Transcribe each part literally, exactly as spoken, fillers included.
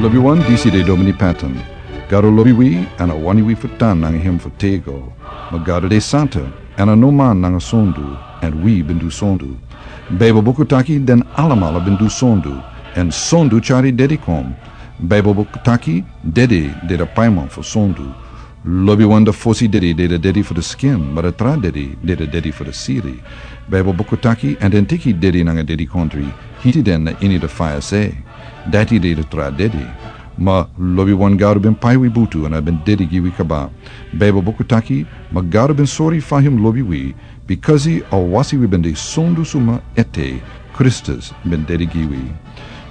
Lobi wan, disi de Domini Patton. Gado lobi wi, èn a wani wi fu tan nanga hem fu tego. Ma Gado de santa, èn a no man nanga sondu, èn wi ben du sondu. Baibel buku taki den alamala ben du sondu, èn sondu tyari dedi kon. Baibel buku taki dedi de a paiman fu sondu. Lobi wan, a fosi dedi de a dedi fu a skin, ma a tra dedi de a dedi fu a siri. Baibel buku taki, èn den teki dedi nanga dedikondre, hiti den na ini a faya se. Dati de a tra dedi. Ma lobi wan, Gado ben pai wi butu èn a ben dedi gi wi kaba. Baibel buku taki, ma Gado ben sori fa hem lobi wi, bikasi a wasi wi ben de sondu suma ete, Kristus ben dedi gi wi.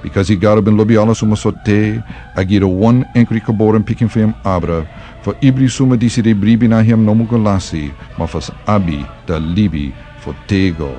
Bikasi Gado ben lobi ala suma so te, a gi a wan enkri geboren pikin fu hem abra, fu ibri suma disi de bribi na hem no mu go lasi, ma fu sa abi a libi fu tego.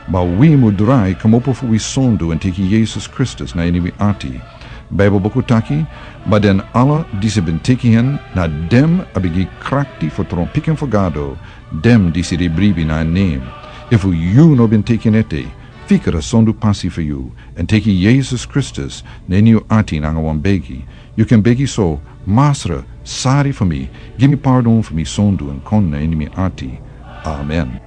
Ma wi mu drai kmopo fu wi sondu èn teki Yesus Kristus na ini wi ati. Baibel buku taki, ma den ala disi ben teki hen, na den a ben gi krakti fu tron pikin fu Gado, den disi de bribi na en nen. Efu yu no ben teki en ete, fika a sondu pasi fu yu, èn teki Yesus Kristus na ini yu ati nanga wan begi. Yu kan begi so: Masra, sari fu mi, gi mi pardon fu mi sondu èn kon na ini mi ati. Amen.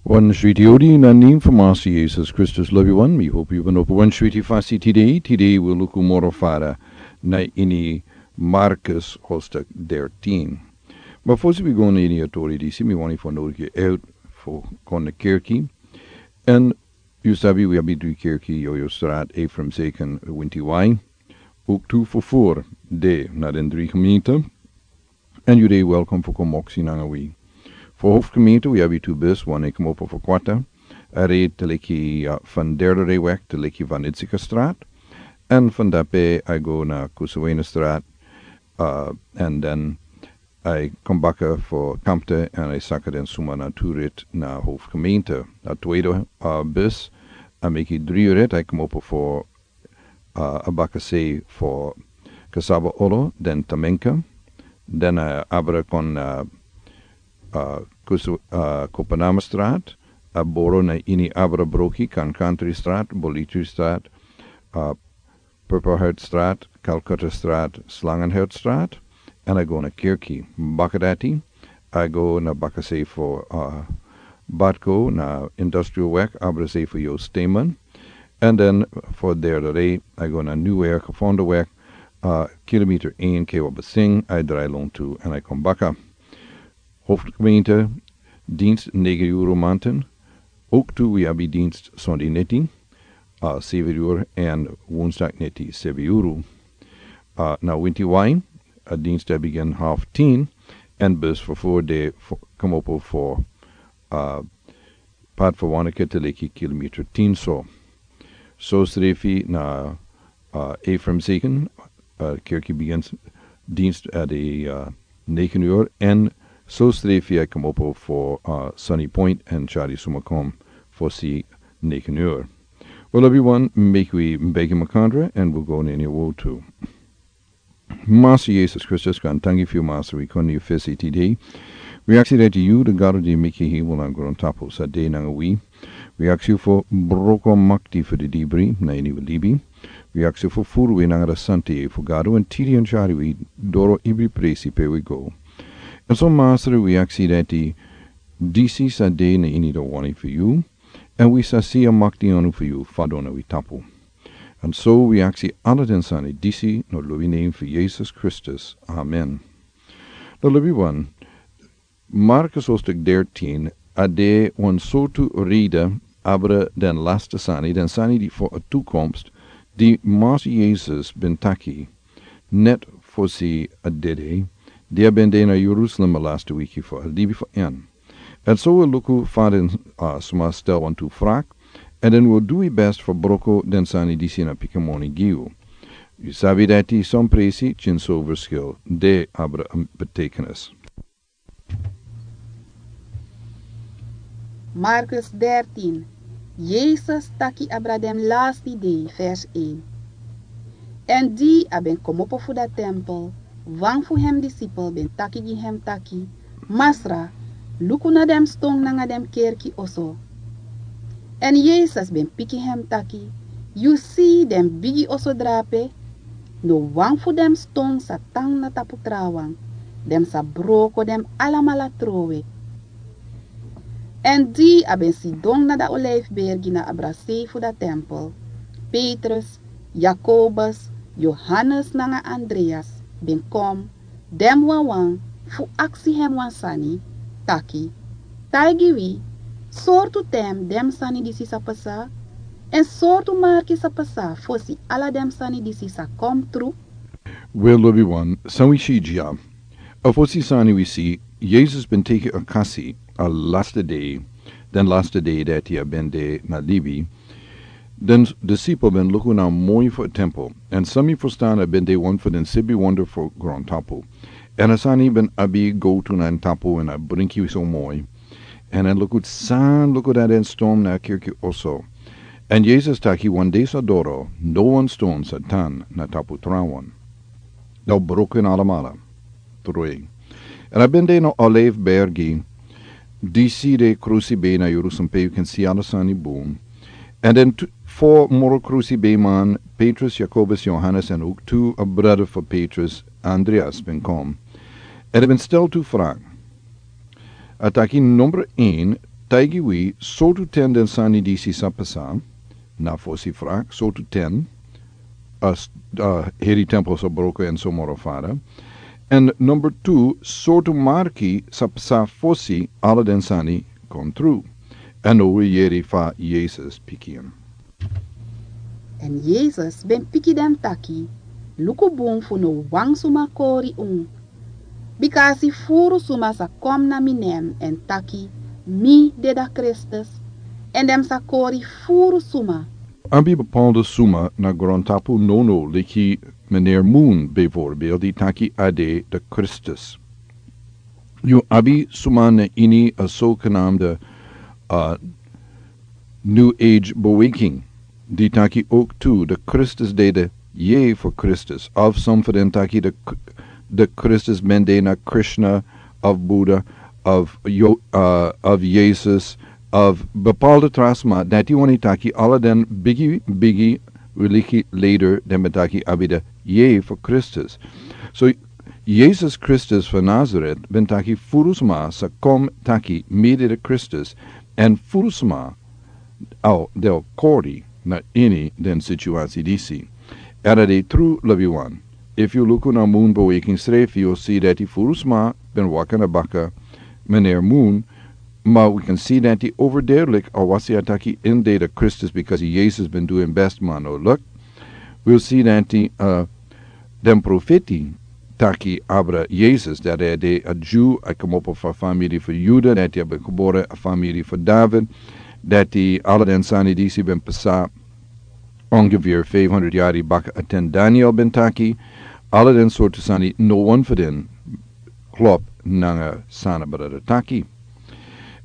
Wan switi odi na nen fu Masra Yesus Kristus. Lobi wan, mi hopi yu ben opo wan switi fasi tide. Tide wi luku moro fara na ini Markus hoofdstuk dertien. Ma fosi wi go na ini a tori disi, mi wani fu nodigi yu fu kon na kerki. Èn yu sabi wi abi dri kerki: Yoyo Straat, Ephraim Second, Winti Wai. Ook tu fufur de na den dri gemeente. Èn yu de welkom fu kon moksi nanga wi. Fu hoofdgemeente wi abi tu bus, wan e kmopo fu Kwata, a rij teleki, uh, van Derde Rij weg teleki van Itzike Straat. Èn van dape a go na Kusawena Straat, uh, èn dan a kon baka fu Kampte èn a saka den suma na tu rit na hoofdgemeente. A tweede, uh, bus a meki dri rit, a kmopo fu uh, a bakasei fu Kasaba Olo, den Tamenka, den, uh, abra kon, uh, uh, Kusu, uh, Kopanama Straat, a boro na ini abra broki kan Country Straat, Bolitri Straat, uh, Purple Heart Straat, Calcutta Straat, Slangenhout Straat, èn a go na kerki. Baka dati, a go na bakasei fu, uh, Batco na Industrial Weg, abra sei fu Joost Steeman. Èn dan fu Derde Rij, a go na Nieuwweg, Gevonden Weg, uh, kilometer één, Kewabasing, a drai lontu, èn a kon baka. Hoofdgemeente, dienst negen uur manten. Ook tu wi abi dienst Sunday neti, uh, zeven uur, èn woensdag neti, zeven uur. Uh, na Winti Wai, a dienst a begin half tien, èn bus vervoer de fu, kmopo fu, uh, Pad fu Wanakete leki kilometer tien so. So srefi na, uh, Ephraim Second, uh, kerki begin dienst a de, uh, negen uur. Èn so srefi a kmopo fu, uh, Sunny Point èn tyari suma kon fosi negen uur. Well, everyone, make we beg him a contra and we'll go in any woe too. Masra Yesus Kristus, kon danki fu yu, Masra, wi kon na yu fesi tide. Wi aksi dati yu, di Gado di meki hemel nanga grontapu, sa de nanga wi. Wi aksi yu fu broko makti fu di dibri na ini wi libi. Wi aksi yu fu furu wi nanga di santa yeye fu Gado èn tiri èn tyari wi doro ibri presi pe wi go. Èn so, Masra, wi aksi dati disi sa de na ini di wani fu yu, èn wi sa si a makti anu fu yu fadon na wi tapu. Èn so wi aksi ala den sani disi na lobi nen fu Yesus Kristus. Amen. Na lobi wan, Markus hoofdstuk dertien, a de wan sortu rida abra den laste sani, den sani di fu a toekomst, di Masra Yesus ben taki, net fosi a dede, di a ben de na Jerusalem a laste wiki fu a libi fu en. Èn so wi luku fa den, uh, sma stel wantu frak, èn den wi du wi best fu broko den sani disi na pikin moni gi yu. Yu sabi dati son presi tyin so verschil de abra, um, betekenis. Markus dertien. Yesus taki abra den lasti dei, vers één. Èn di a ben komopo fu da tempel, wan fu hem disipel ben taki gi hem taki: Masra, luku na den ston nanga den kerki oso. Èn Yesus ben piki hem taki: Yu si den bigi oso drape, no wan fu den ston sa tan na tapu trawan, den sa broko den alamala trowe. Èn di a ben sidon na da olijfbergi na a brasei fu da tempel, Petrus, Jakobus, Johannes nanga Andreas ben kon, den wawan, fu aksi hem wan sani, taki: Taigi wi, sortu ten den sani disi sa pasa, èn sortu marki sa pasa fosi ala den sani disi sa kon tru? Wel, lobiwan, san wi si dya? A fosi sani wi si, Yesus ben teki a kasi, a laste dei, den laste dei dati a ben de na libi, den disipel ben luku na moi fu a tempel, èn san mi ferstan a ben de wan fu den sibi wonder fu grontapu. Èn a sani ben abi gowtu na en tapu èn a brinki so moi. Èn a luku san luku dati den ston na a kirki oso. Èn Yesus taki wan dei sa doro, no wan ston sa tan na tapu trawan. Dati broko en alamala. Trowe. Èn a ben de na Olijfbergi, disi de krusi bei na Jerusalem pe yu kan si ala sani bun. Èn den tu, fo moro krusi bei man, Petrus, Jakobus, Johannes, èn ook tu a brada fu Petrus, Andreas, ben kon. Èn a ben stel tu vraag. A taki number een, taigi wi, sortu ten den sani disi sa pasa, na fosi vraag, sortu ten, a s-, a heri tempel sa broko èn so moro fara. Èn number two, sortu marki sa pasa fosi ala den sani kon tru. Èn now wi yere fa Yesus piki en. Èn Yesus ben piki den taki: Luku bun fu no wan suma kori unu. Bika a si furu suma sa kon na mi nen èn taki: Mi de da Kristus, èn den sa kori furu suma. Abi bepaalde suma na grontapu nownow, leki meneer Moon bijvoorbeeld, di taki a de da Kristus. Yu abi suma na ini a zogenaamde, a, New Age Beweking, di taki ook tu da Kristus de de Jezus Kristus. Of san fu den taki da K-, da Kristus ben de na Krishna, of Buddha, of Yo-, a, of Yesus, of bepaalde tra sma, dati wani taki ala den bigi, bigi religie leider den ben taki abi de Jezus Kristus. So, Yesus Kristus fu Nazaret ben taki furu sma sa kon taki mi de da Kristus, èn furu sma a o de kori na ini den situasi disi. Èn a de tru, lobiwan. Efu yu luku na Moon Beweking srefi, yu o si dati furu sma ben waka na baka meneer Moon, ma wi kan si dati overduidelijk a wasi a taki en de da Kristus, because Yesus ben du en best, ma no luk. Wi o si dati, a, den profeti taki abra Yesus, dati a de a Dyu, a komopo fu a famiri fu Yuda, dati a ben gebore a famiri fu David, dati ala den sani disi ben pasa ongeveer vijfhonderd yari baka, a ten Daniel ben taki, ala den sortu sani, no wan fu den klop nanga san a brada taki.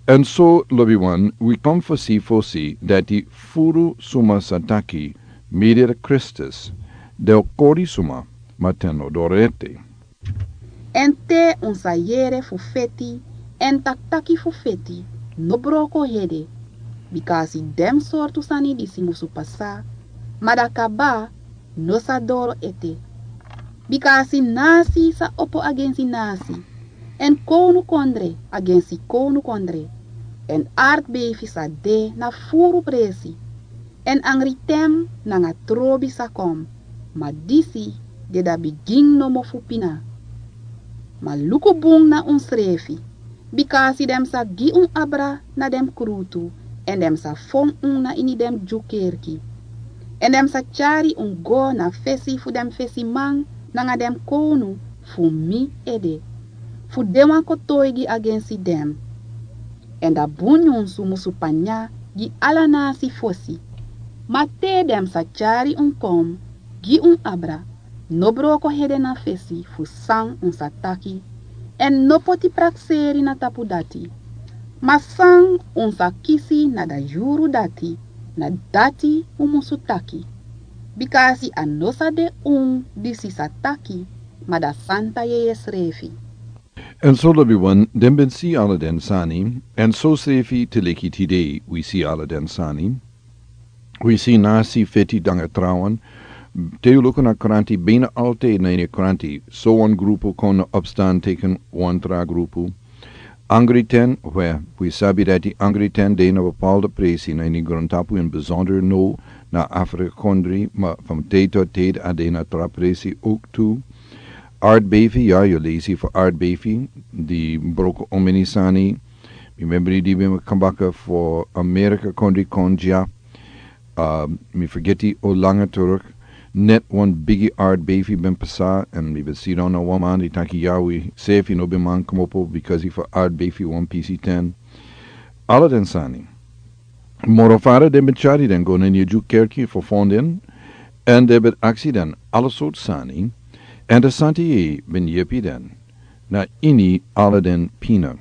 Èn so, lobiwan, wi kon fu si fosi dati furu suma sa taki mi de da Kristus, den o kori suma, ma ten no doro ete. Èn te un sa yere fu feti, èn taktaki fu feti, no broko hede, bika a si den sortu sani disi musu pasa, ma da kaba no sa doro ete. Bika a si nasi sa opo agensi nasi, èn kownukondre agensi kownukondre, èn artbeifi sa de na furu presi, èn angriten nanga trobi sa kon, ma disi de da bigin nomo fu pina. Ma luku bun na unsrefi, bika a si den sa gi un abra na den krutu, èn den sa fon un na ini den Dyu kerki. Èn den sa tyari un go na fesi fu den fesiman nanga den kownu fu mi ede, fu de wan kotoigi agensi den. Èn da bun nyunsu musu panya gi ala nasi fosi. Ma te den sa tyari un kon gi un abra, no broko hede na fesi fu san un sa taki, èn no poti prakseri na tapu dati. Ma san un sa kisi na da yuru dati, na dati un musu taki. Bika a si a no sa de un disi sa taki, ma da Santa Yeye srefi. Èn so, lobiwan, den ben si ala den sani, èn so srefi te leki tide wi si ala den sani. Wi si nasi feti danga trawan. Te yu luku na kranti bina alti na ini kranti. So wan grupu kon na opstan teken wan tra grupu. Angri ten, we, wi sabi dati angri ten de na bepaalde presi na ini grontapu in bijzonder no na Afrika kondri, ma van tijd tot tijd a de na tra presi ook tu. Aardbevi, ya, yu lesi fu aardbevi, di broko omeni sani. Mi memri di ben kambaka fu Amerika kondri konja. Uh, mi fergeti o langa terug. Net wan bigi aardbevi ben pasa, en mi ben sidon na wan man di taki ya wi sefi no ben man komopo because fu aardbevi wan pisi ten. Ala den sani. Moro fara den ben tyari den go na ini Ju kerki fu fonden, en den ben aksi den ala sort sani, en de santi ben yepi den na ini ala den pina.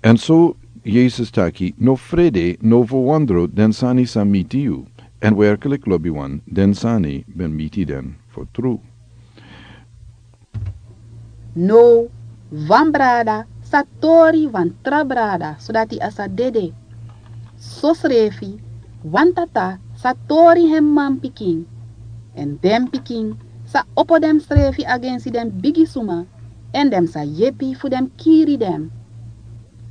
En so Yesus taki, no frede, no verwondro, den sani sa miti yu. En werkelijk lobi wan, den sani ben miti den fu tru. No, wan brada sa tori wan tra brada, sodati a sa dede. Sosrefi, wan tata sa tori hem manpikin. En den pikin sa opo demsrefi agensi den bigi suma, en den sa yepi fu den kiri den.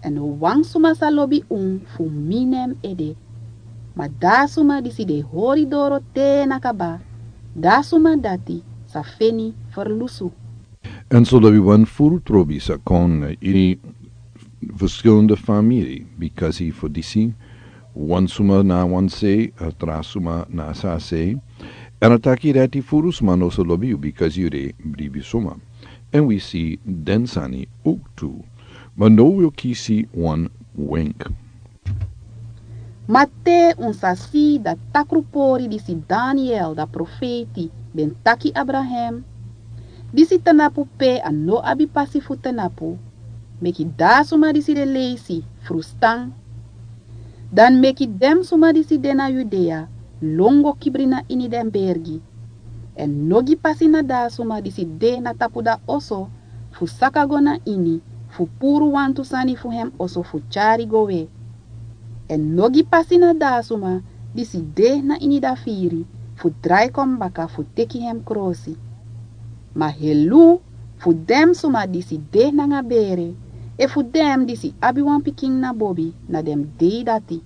En no wan suma sa lobi un fu mi na en ede. Ma da suma disi de hori doro te na kaba, da suma dati sa feni ferlusu. En so lobi wan furu trobi sa kon na ini verschillende famiri, bikasi fu disi, wan suma na wan se, a tra suma na sa se, en a taki dati furu suma no sa lobi yu bikasi yu de bribi suma. En wi si den sani ook tu. Ma no wi o kisi wan wenk. Ma te un sa si da takru pori disi Daniel da profeti ben taki abra hem. Disi tanapu pe a no abi pasi fu tanapu. Meki da suma disi de leisi frustan. Dan meki den suma disi de na Yudea lon go kibri na ini den bergi. En no gi pasi na da suma disi de na tapu da oso fu saka go na ini fu puru wantu sani fu hem oso fu tyari go we. En no gi pasi na da suma disi de na ini da firi fu drai kon baka fu teki hem krosi. Ma helu fu den suma disi de nanga bere, efu den disi abi wan pikin na bobi na den dei dati.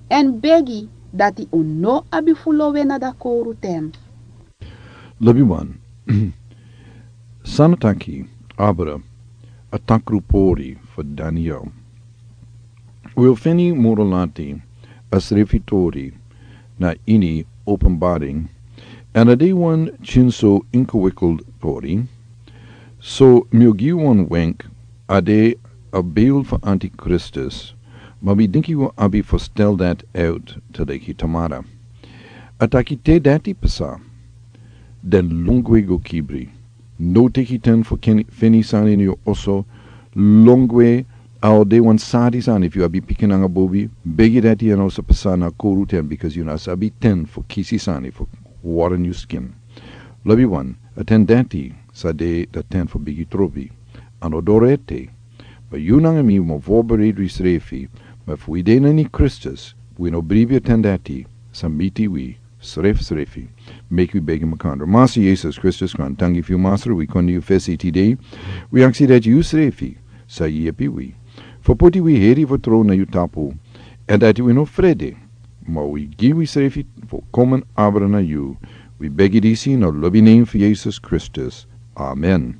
En begi dati un no abi fu lowe na da kowru ten. Lobi wan. San a taki abra a takru pori fu Daniel. Wi o feni moro lati a srefi tori na ini Openbaring, en a de wan tyinso ingewikkeld tori. So mi o gi wan wenk, a de a beeld fu antikristus, ma mi dinki wi abi fu stel dat uit te leki tamara. A taki te dati pasa, den lon gwe go kibri. No teki ten fu ken- feni sani na yu oso, lon gwe. A o de wan sadi sani efu yu abi pikin nanga bobi, begi dati a no sa pasa na kowru ten, bikasi yu no sabi ten fu kisi sani fu wara nyun skin. Lobi wan, a ten dati sa de da ten fu bigi trobi. A no doro ete. Ma yu nanga mi mus voorbereid wi srefi, ma efu wi de na ini Kristus, wi no bribi a ten dati sa miti wi srefsrefi. Meki wi begi makandra. Masi Yesus Kristus, grantangi fu yu, Masra, wi kon na yu fesi tide. Wi aksi dati yu srefi sa yepi wi fu poti wi heri fu tron na yu tapu, en dati wi no frede, ma wi gi wi srefi fu komen abra na yu. Wi begi disi na lobi nen fu Yesus Kristus. Amen.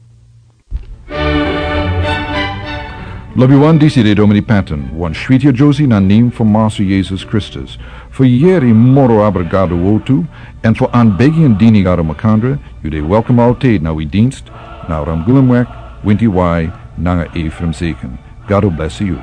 Lobi wan, disi de Domini Patton, wan switi a Josie na nen fu Master Yesus Kristus. Fu yeri moro abra Gado wortu, en fu anbegi en dini Gado makandra, yu de welkom altijd na wi dienst, na Ramgulemweg, winti wai, nanga Ephraim Zeken. Gado bless yu.